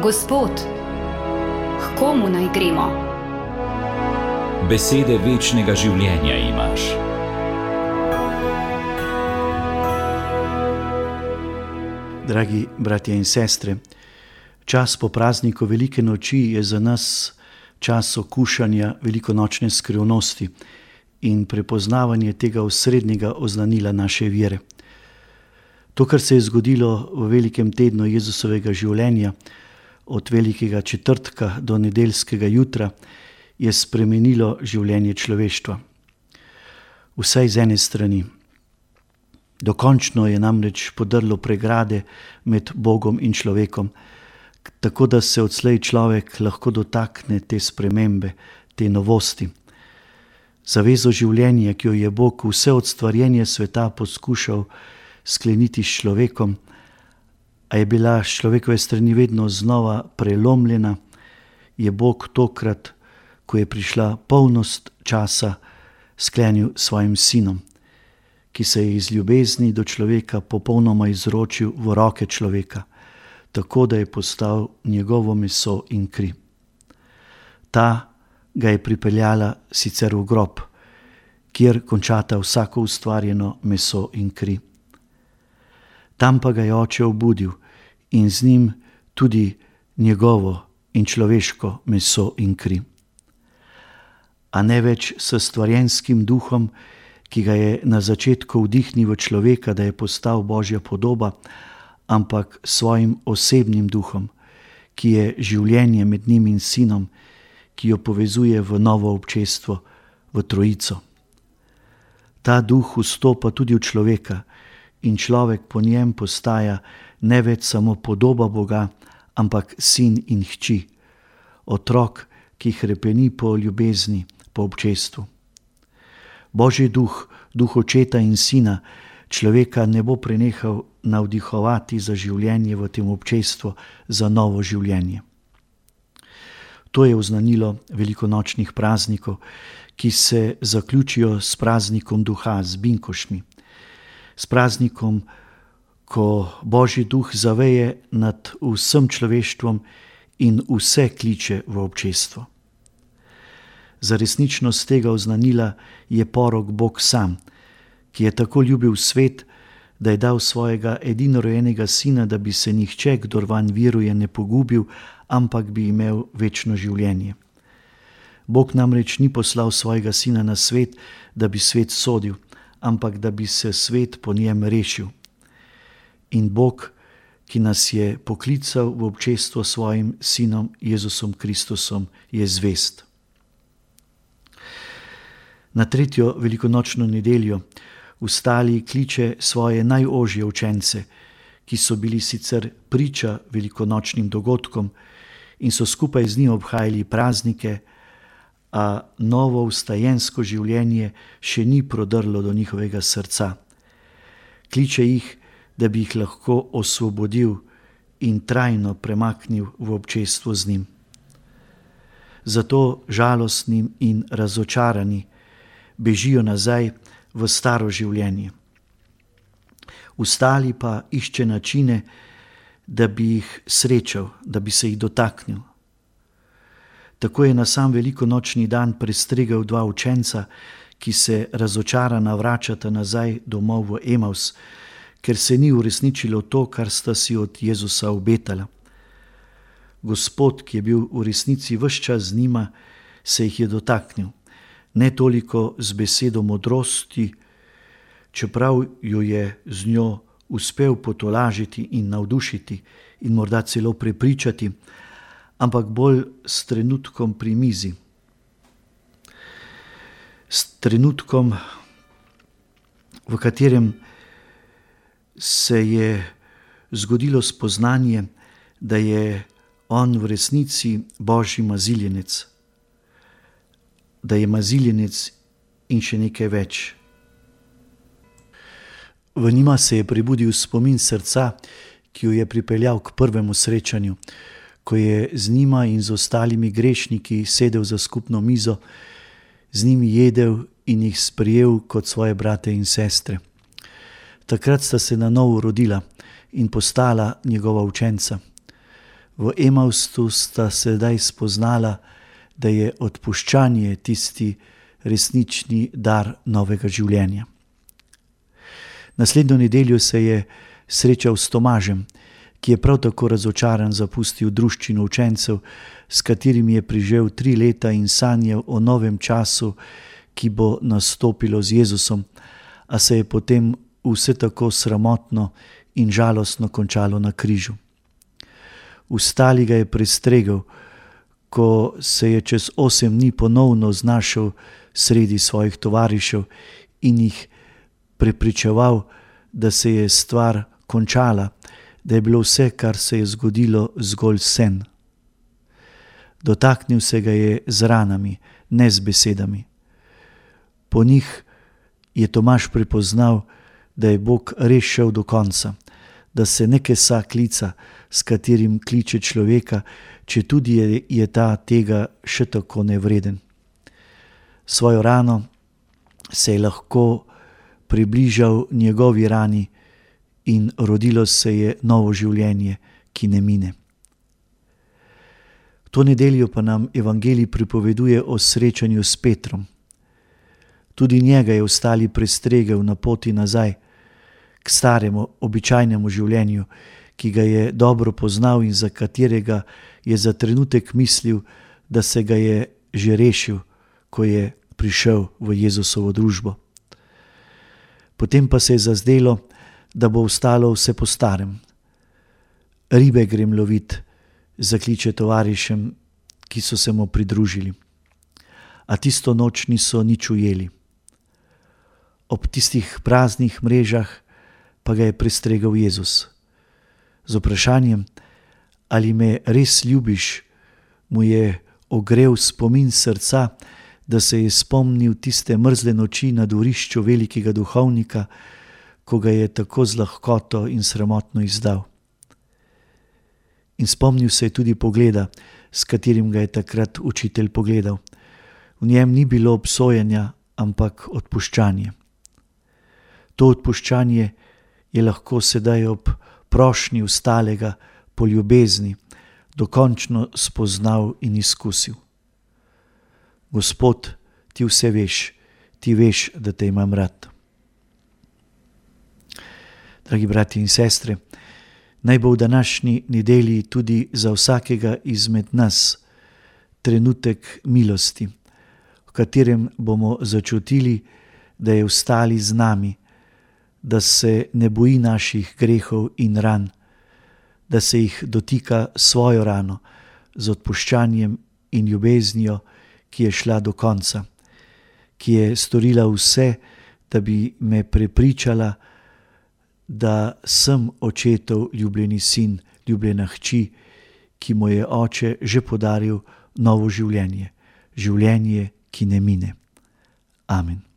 Gospod, k komu naj gremo? Besede večnega življenja imaš. Dragi bratje in sestre, čas po prazniku Velike noči je za nas čas okušanja velikonočne skrivnosti in prepoznavanje tega osrednjega oznanila naše vere. To, kar se je zgodilo v velikem tednu Jezusovega življenja, od velikega četrtka do nedeljskega jutra, je spremenilo življenje človeštva. Vsaj z ene strani. Dokončno je namreč podrlo pregrade med Bogom in človekom, tako da se odslej človek lahko dotakne te spremembe, te novosti. Zavezo življenja, ki jo je Bog vse od stvarjenja sveta poskušal skleniti s človekom, a je bila s človekove strani vedno znova prelomljena, je Bog tokrat, ko je prišla polnost časa, sklenil svojim sinom, ki se je iz ljubezni do človeka popolnoma izročil v roke človeka, tako da je postal njegovo meso in kri. Ta ga je pripeljala sicer v grob, kjer končata vsako ustvarjeno meso in kri. Tam pa ga je Oče obudil in z njim tudi njegovo in človeško meso in kri. A ne več s stvarjenskim duhom, ki ga je na začetku vdihnil v človeka, da je postal Božja podoba, ampak svojim osebnim duhom, ki je življenje med njim in sinom, ki jo povezuje v novo občestvo, v trojico. Ta duh vstopa tudi v človeka in človek po njem postaja ne več samo podoba Boga, ampak sin in hči, otrok, ki hrepeni po ljubezni, po občestvu. Božji duh, duh očeta in sina, človeka ne bo prenehal navdihovati za življenje v tem občestvu, za novo življenje. To je oznanilo velikonočnih praznikov, ki se zaključijo s praznikom duha, z binkoštmi. S praznikom, ko Božji duh zaveje nad vsem človeštvom in vse kliče v občestvo. Za resničnost tega oznanila je porok Bog sam, ki je tako ljubil svet, da je dal svojega edinorojenega sina, da bi se nihče, kdor vanj veruje, ne pogubil, ampak bi imel večno življenje. Bog namreč ni poslal svojega sina na svet, da bi svet sodil, ampak da bi se svet po njem rešil. In Bog, ki nas je poklical v občestvo svojim sinom Jezusom Kristusom, je zvest. Na tretjo velikonočno nedeljo vstali kliče svoje najožje učence, ki so bili sicer priča velikonočnim dogodkom in so skupaj z njim obhajali praznike, a novo vstajensko življenje še ni prodrlo do njihovega srca. Kliče jih, da bi jih lahko osvobodil in trajno premaknil v občestvo z njim. Zato žalostni in razočarani bežijo nazaj v staro življenje. Vstali pa išče načine, da bi jih srečal, da bi se jih dotaknil. Tako je na sam velikonočni dan prestregel dva učenca, ki se razočarana vračata nazaj domov v Emaus, ker se ni uresničilo to, kar sta si od Jezusa obetala. Gospod, ki je bil v resnici ves čas z njima, se jih je dotaknil. Ne toliko z besedo modrosti, čeprav jo je z njo uspel potolažiti in navdušiti in morda celo prepričati, ampak bolj s trenutkom pri mizi. S trenutkom, v katerem se je zgodilo spoznanje, da je on v resnici Božji maziljenec, da je maziljenec in še nekaj več. V njima se je prebudil spomin srca, ki jo je pripeljal k prvemu srečanju, ko je z njima in z ostalimi grešniki sedel za skupno mizo, z njimi jedel in jih sprejel kot svoje brate in sestre. Takrat sta se na novo rodila in postala njegova učenca. V Emausu sta sedaj spoznala, da je odpuščanje tisti resnični dar novega življenja. Naslednjo nedeljo se je srečal s Tomažem, ki je prav tako razočaran zapustil druščino učencev, s katerimi je preživel 3 leta in sanjal o novem času, ki bo nastopilo z Jezusom, a se je potem vse tako sramotno in žalostno končalo na križu. Vstali ga je prestregel, ko se je čez 8 dni ponovno znašel sredi svojih tovarišev in jih prepričeval, da se je stvar končala, da je bilo vse, kar se je zgodilo, zgolj sen. Dotaknil se ga je z ranami, ne z besedami. Po njih je Tomaž prepoznal, da je Bog res šel do konca, da se ne kesa klica, s katerim kliče človeka, četudi je ta tega še tako nevreden. Svojo rano se je lahko približal njegovi rani in rodilo se je novo življenje, ki ne mine. To nedeljo pa nam evangelij pripoveduje o srečanju s Petrom. Tudi njega je ostali prestregel na poti nazaj k staremu, običajnemu življenju, ki ga je dobro poznal in za katerega je za trenutek mislil, da se ga je že rešil, ko je prišel v Jezusovo družbo. Potem pa se je zazdelo, da bo ostalo vse po starem. Ribe grem lovit, zakliče tovarišem, ki so se mu pridružili. A tisto noč niso nič ujeli. Ob tistih praznih mrežah pa ga je prestregel Jezus. Z vprašanjem, ali me res ljubiš, mu je ogrel spomin srca, da se je spomnil tiste mrzle noči na dvorišču velikega duhovnika, ko ga je tako z lahkoto in sramotno izdal. In spomnil se je tudi pogleda, s katerim ga je takrat učitelj pogledal. V njem ni bilo obsojenja, ampak odpuščanje. To odpuščanje je lahko sedaj ob prošnji ostalega po ljubezni dokončno spoznal in izkusil. Gospod, ti vse veš, ti veš, da te imam rad. Dragi bratje in sestre, naj bo v današnji nedelji tudi za vsakega izmed nas trenutek milosti, v katerem bomo začutili, da je ostali z nami, da se ne boji naših grehov in ran, da se jih dotika svojo rano z odpuščanjem in ljubeznijo, ki je šla do konca, ki je storila vse, da bi me prepričala, da sem očetov ljubljeni sin, ljubljena hči, ki mu je oče že podaril novo življenje, življenje, ki ne mine. Amen.